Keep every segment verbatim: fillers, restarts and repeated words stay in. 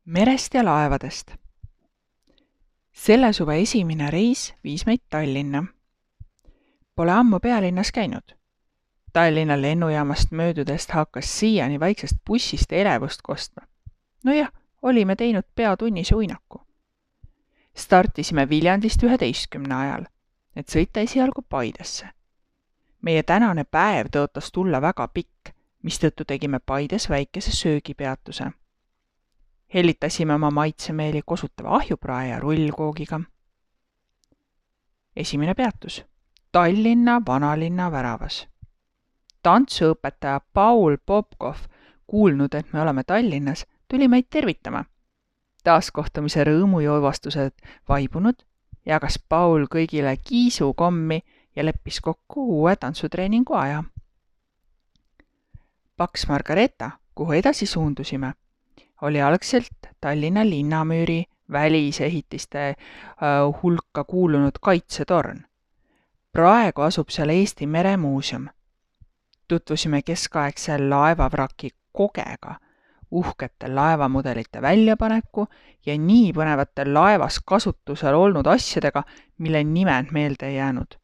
Merest ja laevadest. Selle suve esimene reis viis meid Tallinna. Pole ammu pealinnas käinud. Tallinna lennujaamast möödudest hakkas siiani vaiksest bussist elevust kostma. No jah, olime teinud peatunnise uinaku. Startisime Viljandist üheteistkümne ajal, et sõita esialgu Paidesse. Meie tänane päev tõotas tulla väga pikk, mistõttu tegime Paides väikese söögipeatuse. Hellitasime oma maitsemeeli kosutava ahjuprae ja rullkoogiga. Esimene peatus. Tallinna vanalinna väravas. Tantsuõpetaja Paul Popkov, kuulnud, et me oleme Tallinnas, tuli meid tervitama. Taaskohtumise rõõmujoovastused vaibunud, jagas Paul kõigile kiisukommi ja leppis kokku uue tantsutreeningu aja. Paks Margareeta, kuhu edasi suundusime, oli algselt Tallinna linnamüüri välisehitiste hulka kuulunud kaitsetorn. Praegu asub seal Eesti Meremuuseum. Tutvusime keskaegse laevavraki kogega, uhkete laevamudelite väljapaneku ja nii põnevate laevas kasutusel olnud asjadega, mille nimed meelde ei jäänud.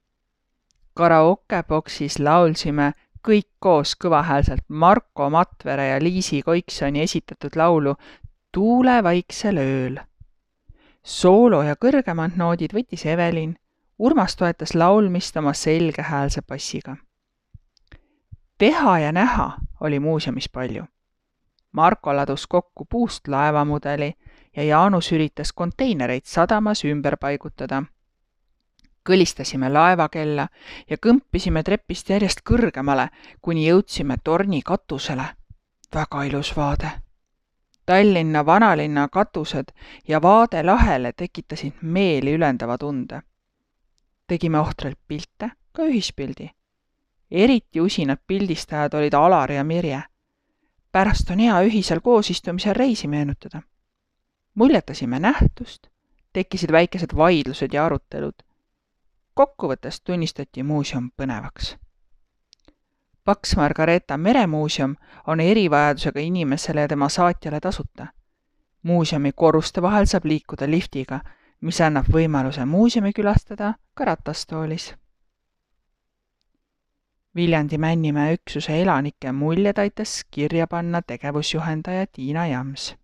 Karaokeboksis laulsime kõik koos kõvahäälselt Marko Matvere ja Liisi Koiksoni esitatud laulu Tuule vaiksel ööl. Soolo ja kõrgemad noodid võttis Evelin, Urmas toetas laulmist oma selgehäälse bassiga. Teha ja näha oli muuseumis palju. Marko ladus kokku puust laevamudeli ja Jaanus üritas konteinereid sadamas ümber paigutada. Kõlistasime laevakella ja kõmpisime trepist järjest kõrgemale, kuni jõudsime torni katusele. Väga ilus vaade. Tallinna vanalinna katused ja vaade lahele tekitasid meeli ülendava tunde. Tegime ohtralt pilte, ka ühispildi. Eriti usinad pildistajad olid Alar ja Mirje. Pärast on hea ühisel koosistumisel reisi meenutada. Muljetasime nähtust, tekkisid väikesed vaidlused ja arutelud. Kokkuvõttes tunnistati muuseum põnevaks. Paks Margareeta Meremuuseum on erivajadusega inimesele ja tema saatjale tasuta. Muuseumi korruste vahel saab liikuda liftiga, mis annab võimaluse muuseumi külastada ka ratastoolis. Viljandi Männimäe üksuse elanike muljed aitas kirja panna tegevusjuhendaja Tiina Jams.